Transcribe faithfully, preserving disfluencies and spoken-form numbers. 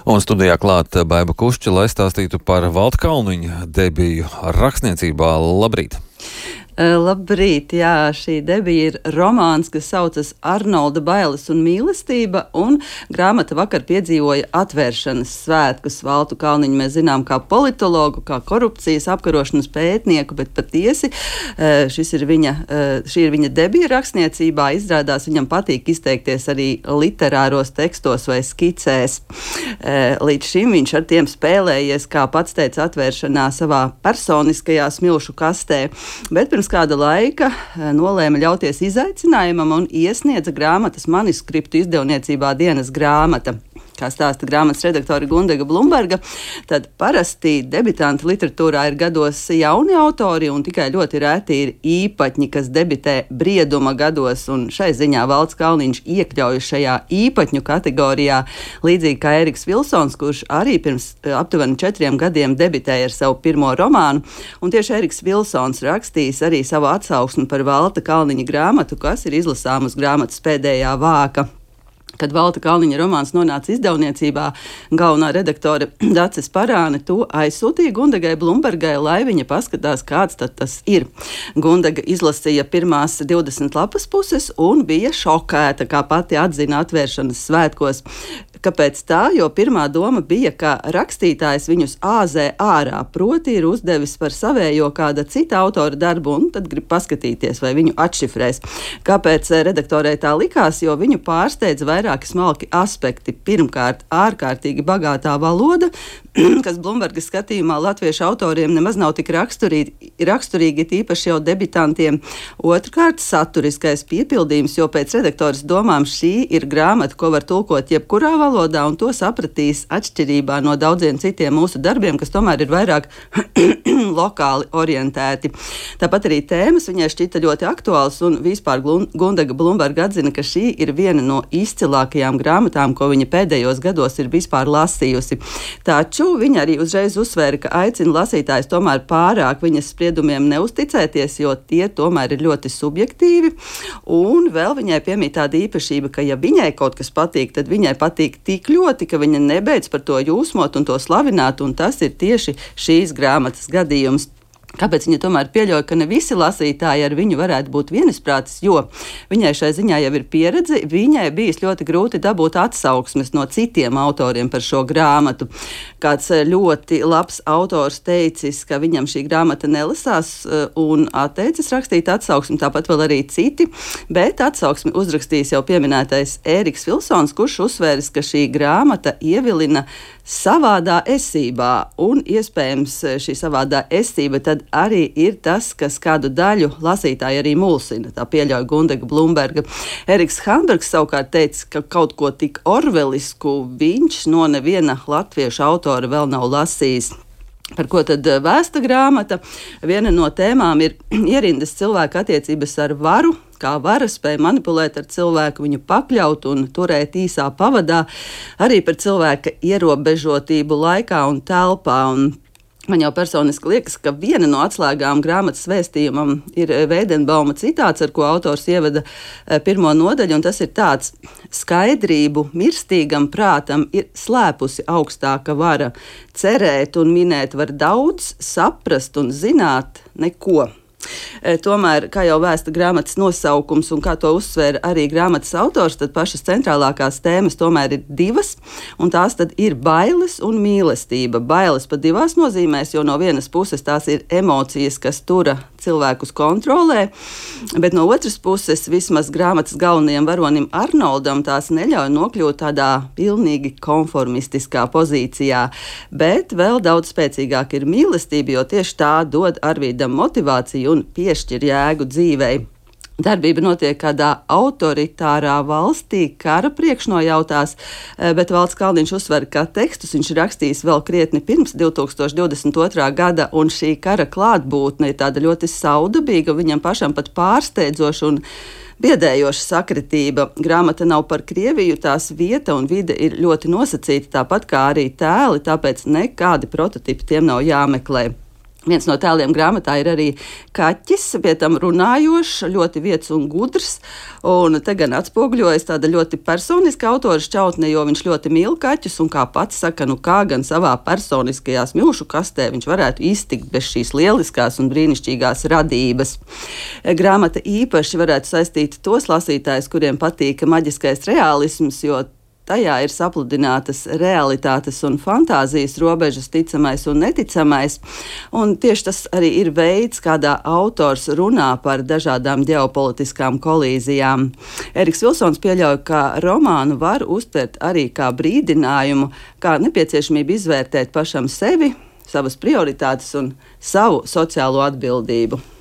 Un studijā klāt Baiba Kušča, lai stāstītu par Valta Kalniņa debiju rakstniecībā. Labrīt! Labrīt, jā, šī debija ir romāns, kas saucas Arnolda bailes un mīlestība, un grāmata vakar piedzīvoja atvēršanas svētkus. Valtu Kalniņu mēs zinām kā politologu, kā korupcijas apkarošanas pētnieku, bet patiesi šis ir viņa, šī ir viņa debija rakstniecībā. Izrādās viņam patīk izteikties arī literāros tekstos vai skicēs. Līdz šim viņš ar tiem spēlējies, kā pats teica, atvēršanā savā personiskajā smilšu kastē, bet pirms kāda laika nolēma ļauties izaicinājumam un iesniedza grāmatas manuskriptu izdevniecībā Dienas grāmata. Kā stāsta grāmatas redaktore Gundega Blumberga, tad parasti debitanti literatūrā ir gados jauni autori un tikai ļoti reti ir īpaņi, kas debitē brieduma gados, un šai ziņā Valts Kalniņš iekļaujas šajā īpaņu kategorijā, līdzīgi kā Eriks Vilsons, kurš arī pirms aptuveni četriem gadiem debitēja ar savu pirmo romānu, un tieši Eriks Vilsons rakstījis arī savu atsauksmi par Valta Kalniņa grāmatu, kas ir izlasāmas grāmatas pēdējā vāka. Kad Valta Kalniņa romāns nonāca izdevniecībā, galvenā redaktore Dace Sparāne to aizsūtīja Gundegai Blumbergai, lai viņa paskatās, kāds tad tas ir. Gundega izlasīja pirmās divdesmit lapas puses un bija šokēta, kā pati atzina atvēršanas svētkos. Kāpēc tā? Jo pirmā doma bija, ka rakstītājs viņus āzē ārā, proti ir uzdevis par savējo kāda cita autora darbu, un tad grib paskatīties, vai viņu atšifrēs. Kāpēc redaktorei tā likās? Jo viņu pārsteidza vairāki smalki aspekti. Pirmkārt, ārkārtīgi bagātā valoda, kas Blumbergas skatījumā latviešu autoriem nemaz nav tik raksturīgi, raksturīgi tīpaši jau debitantiem. Otrkārt, saturiskais piepildījums, jo pēc redaktoras domām šī ir grāmata, ko var tulkot jebkurā valodā, un to sapratīs atšķirībā no daudziem citiem mūsu darbiem, kas tomēr ir vairāk lokāli orientēti. Tāpat arī tēmas viņai šķita ļoti aktuāls, un vispār Gundega Blumberga atzina, ka šī ir viena no izcilākajām grāmatām, ko viņa pēdējos gados ir vispār lasījusi. Taču viņa arī uzreiz uzsvēra, ka aicina lasītājs tomēr pārāk viņas spriedumiem neusticēties, jo tie tomēr ir ļoti subjektīvi, un vēl viņai piemīt tāda īpašība, ka ja viņai kaut kas patīk, tad viņai patīk tik ļoti, ka viņa nebeidz par to jūsmot un to slavināt, un tas ir tieši šīs grāmatas gadījums. Kāpēc viņa tomēr pieļauj, ka ne visi lasītāji ar viņu varētu būt vienisprātis, jo viņai šai ziņā jau ir pieredze, viņai bijis ļoti grūti dabūt atsauksmes no citiem autoriem par šo grāmatu. Kāds ļoti labs autors teicis, ka viņam šī grāmata nelasās un atteicis rakstīt atsauksmi, tāpat vēl arī citi, bet atsauksmi uzrakstījis jau pieminētais Eriks Vilsons, kurš uzsvēris, ka šī grāmata ievilina savādā esībā, un iespējams šī savādā esība tad arī ir tas, kas kādu daļu lasītāju arī mulsina. Tā pieļauj Gundega Blumberga. Eriks Hambergs savukārt teica, ka kaut ko tik orvelisku viņš no neviena latviešu autora vēl nav lasījis. Par ko tad vēsta grāmata? Viena no tēmām ir ierindas cilvēka attiecības ar varu, kā vara spēja manipulēt ar cilvēku, viņu pakļaut un turēt īsā pavadā, arī par cilvēka ierobežotību laikā un telpā. Un man jau personiski liekas, ka viena no atslēgām grāmatas vēstījumam ir Veidenbauma citāts, ar ko autors ievada pirmo nodaļu, un tas ir tāds: skaidrību mirstīgam prātam ir slēpusi augstāka vara. Cerēt un minēt var daudz, saprast un zināt neko. Tomēr, kā jau vēsta grāmatas nosaukums un kā to uzsvēra arī grāmatas autors, tad pašas centrālākās tēmas tomēr ir divas, un tās tad ir bailes un mīlestība. Bailes pat divās nozīmēs, jo no vienas puses tās ir emocijas, kas tura cilvēkus kontrolē, bet no otras puses vismaz grāmatas galvenajam varonim Arnoldam tās neļauj nokļūt tādā pilnīgi konformistiskā pozīcijā, bet vēl daudz spēcīgāk ir mīlestība, jo tieši tā dod Arvīdam motivāciju un piešķir jēgu dzīvei. Darbība notiek kādā autoritārā valstī, kara priekšnojautās, bet Valts Kalniņš uzsver, ka tekstus viņš rakstījis vēl krietni pirms divi tūkstoši divdesmit otrā gada, un šī kara klātbūtne ir tāda ļoti saudabīga, viņam pašam pat pārsteidzoša un biedējoša sakritība. Grāmata nav par Krieviju, tās vieta un vide ir ļoti nosacīta, tāpat kā arī tēli, tāpēc nekādi prototipi tiem nav jāmeklē. Viens no tēliem grāmatā ir arī kaķis, pie tam runājošs, ļoti vietas un gudrs. Un te gan atspoguļojas tāda ļoti personiska autora šķautne, jo viņš ļoti mīl kaķus un kā pats saka, nu kā gan savā personiskajā smilšu kastē viņš varētu iztikt bez šīs lieliskās un brīnišķīgās radības. Grāmata īpaši varētu saistīt tos lasītājus, kuriem patīk maģiskais reālisms, jo tajā ir sapludinātas realitātes un fantāzijas robežas, ticamais un neticamais. Un tieši tas arī ir veids, kādā autors runā par dažādām ģeopolitiskām kolīzijām. Eriks Vilsons pieļauj, ka romānu var uztvert arī kā brīdinājumu, kā nepieciešamību izvērtēt pašam sevi, savas prioritātes un savu sociālo atbildību.